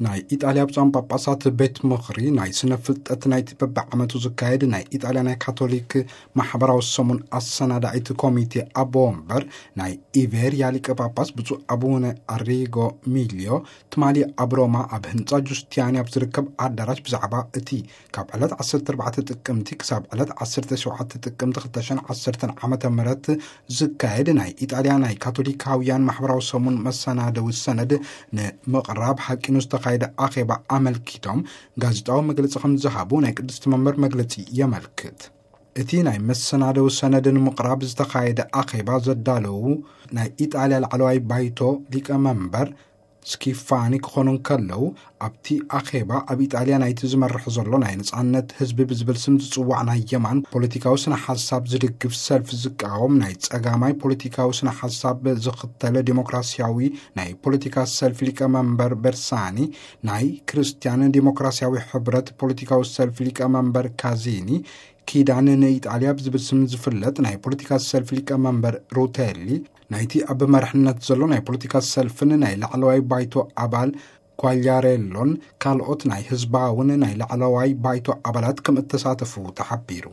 ናይ ኢጣልያ ብፁዓን ጳጳሳት ቤት ምኽሪ ናይ ስነ ፍልጠት ናይቲ በብዓመቱ ዝካየድ ናይ ኢጣልያ ናይ ካቶሊክ ማሕበራዊ ሰሙን ኣሰናዳኢት ኮሚቴ ኣቦ ወንበር ናይ ኢቤርያ ሊቀ ጳጳስ ብፁዕ ኣቡነ ኣሪጎ ሚልዮ ትማሊ ኣብ ሮማ ኣብ ህንጻ ጁስቲያኒ ኣብ ዝርከብ ኣዳራሽ ብዛዕባ እቲ ካብ ዕለት ዓሰርተ ኣርባዕተ ጥቅምቲ ክሳብ ዕለት ዓሰርተ ሸውዓተ ጥቅምቲ ክልተ ሽሕን ዓሰርተን ዓመተ ምህረት ዝካየድ ናይ ኢጣልያ ናይ ካቶሊካውያን ማሕበራዊ ሰሙን መሰናደዊ ሰነድ ንምቕራብ ሓቂኑ ዝተኻየደ ኣኼባ ኣመልኪቶም ጋዜጣዊ መግለጺ ከም ዝሃቡ ናይ ቅድስቲ መንበር መግለጺ የመልክት። እቲ ናይ መሰናደዊ ሰነድ ንምቕራብ ዝተኻየደ ኣኼባ ዘዳለዉ ናይ ኢጣልያ ላዕለዋይ ባይቶ ሊቀ መንበር ስኪፋኒ ክኾኑ እንከለዉ፣ ኣብቲ ኣኼባ ኣብ ኢጣልያ ናይቲ ዝመርሕ ዘሎ ናይ ነጻነት ህዝቢ ብዝብል ስም ዝጽዋዕ ናይ የማን ፖለቲካዊ ስነ ሓሳብ ዝድግፍ ሰልፊ ዝቃወም ናይ ጸጋማይ ፖለቲካዊ ስነ ሓሳብ ዝኽተለ ዴሞክራሲያዊ ናይ ፖለቲካ ሰልፊ ሊቀ መንበር በርሳኒ፣ ናይ ክርስትያን ዴሞክራሲያዊ ሕብረት ፖለቲካዊ ሰልፊ ሊቀ መንበር ካዚኒ፣ ኪዳን ንኢጣልያ ብዝብል ስም ዝፍለጥ ናይ ፖለቲካ ሰልፊ ሊቀ መንበር ሩቴሊ፣ ናይቲ ኣብ መርሕነት ዘሎ ናይ ፖለቲካ ሰልፍን ናይ ላዕለዋይ ባይቶ ኣባል ኳልያሬሎን ካልኦት ናይ ህዝባውን ናይ ላዕለዋይ ባይቶ ኣባላት ከም እተሳተፉ ተሓቢሩ።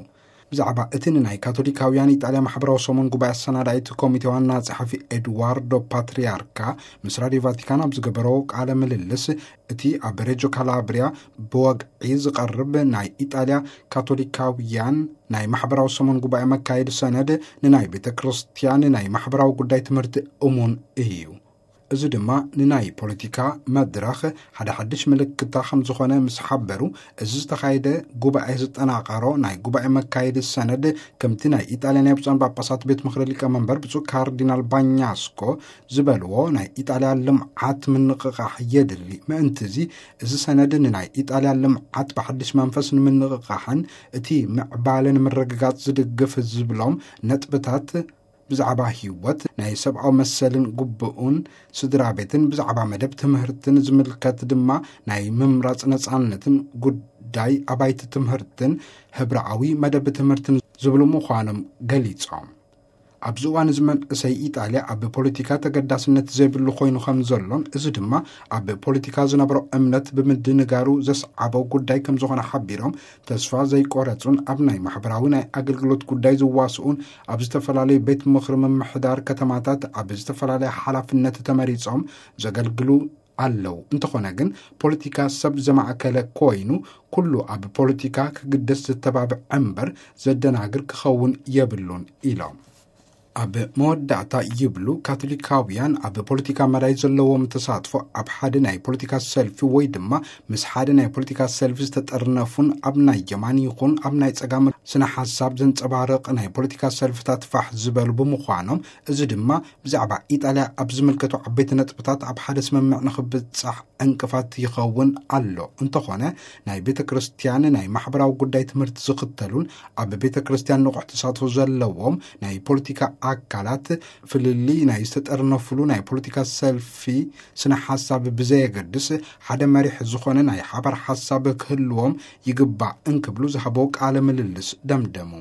ብዛዕባ እቲ ንናይ ካቶሊካውያን ኢጣልያ ማሕበራዊ ሰሙን ጉባኤ ኣሰናዳኢት ኮሚቴ ዋና ጸሓፊ ኤድዋርዶ ፓትሪያርካ ምስ ራድዮ ቫቲካን ኣብ ዝገበሮ ቃለ ምልልስ፣ እቲ ኣብ ሬጆ ካላብሪያ ብወግዒ ዝቐርብ ናይ ኢጣልያ ካቶሊካውያን ናይ ማሕበራዊ ሰሙን ጉባኤ መካየዲ ሰነድ ንናይ ቤተ ክርስቲያን ናይ ማሕበራዊ ጉዳይ ትምህርቲ እሙን እዩ። እዚ ድማ ንናይ ፖለቲካ መድረኽ ሓደ ሓድሽ ምልክታ ከም ዝኾነ ምስ ሓበሩ፣ እዚ ዝተኻየደ ጉባኤ ዝጠናቐሮ ናይ ጉባኤ መካየዲ ሰነድ፣ ከምቲ ናይ ኢጣልያ ናይ ብፁዓን ጳጳሳት ቤት ምኽሪ ሊቀ መንበር ብፁዕ ካርዲናል ባኛስኮ ዝበልዎ፣ ናይ ኢጣልያ ልምዓት ምንቕቓሕ የድሊ። ምእንቲ እዚ፣ እዚ ሰነድ ንናይ ኢጣልያ ልምዓት ብሓድሽ መንፈስ ንምንቕቓሕን እቲ ምዕባለ ንምርግጋጽ ዝድግፍ ዝብሎም ነጥብታት፣ ብዛዕባ ህይወት፣ ናይ ሰብኣዊ መሰልን ግቡእን ስድራ ቤትን፣ ብዛዕባ መደብ ትምህርትን ዝምልከት ድማ ናይ ምምራጽ ነጻነትን ጉዳይ ኣባይቲ ትምህርትን ሕብራዊ መደብ ትምህርትን ዝብሉ ምዃኖም ገሊጾም። ኣብዚ እዋን እዚ መንእሰይ ኢጣልያ ኣብ ፖለቲካ ተገዳስነት ዘይብሉ ኮይኑ ከም ዘሎን፣ እዚ ድማ ኣብ ፖለቲካ ዝነበሮ እምነት ብምድንጋሩ ዘስዓቦ ጉዳይ ከም ዝኾነ ሓቢሮም፣ ተስፋ ዘይቆረጹን ኣብ ናይ ማሕበራዊ ናይ ኣገልግሎት ጉዳይ ዝዋስኡን፣ ኣብ ዝተፈላለዩ ቤት ምኽሪ ምምሕዳር ከተማታት ኣብ ዝተፈላለየ ሓላፍነት ተመሪጾም ዘገልግሉ ኣለዉ። እንተኾነ ግን፣ ፖለቲካ ሰብ ዘማእከለ ኮይኑ፣ ኩሉ ኣብ ፖለቲካ ክግደስ ዘተባብዕ እምበር ዘደናግር ክኸውን የብሉን ኢሎም። ኣብ መወዳእታ ይብሉ፣ ካቶሊካውያን ኣብ ፖለቲካ መዳይ ዘለዎም ተሳትፎ ኣብ ሓደ ናይ ፖለቲካ ሰልፊ ወይ ድማ ምስ ሓደ ናይ ፖለቲካ ሰልፊ ዝተጠርነፉን ኣብ ናይ የማን ይኹን ኣብ ናይ ጸጋም ስነ ሓሳብ ዘንጸባርቕ ናይ ፖለቲካ ሰልፍታት ፋሕ ዝበሉ ብምዃኖም፣ እዚ ድማ ብዛዕባ ኢጣልያ ኣብ ዝምልከቱ ዓበይቲ ነጥብታት ኣብ ሓደ ስምምዕ ንኽብጻሕ ዕንቅፋት ይኸውን ኣሎ። እንተኾነ፣ ናይ ቤተ ክርስቲያን ናይ ማሕበራዊ ጉዳይ ትምህርቲ ዝኽተሉን ኣብ ቤተ ክርስቲያን ንቑሕ ተሳትፎ ዘለዎም ናይ ፖለቲካ ኣካላት፣ ፍልልይ ናይ ዝተጠርነፍሉ ናይ ፖለቲካ ሰልፊ ስነ ሓሳብ ብዘየገድስ፣ ሓደ መሪሕ ዝኾነ ናይ ሓባር ሓሳብ ክህልዎም ይግባእ እንክብሉ ዝሃቦ ቃለ ምልልስ ደምደሙ።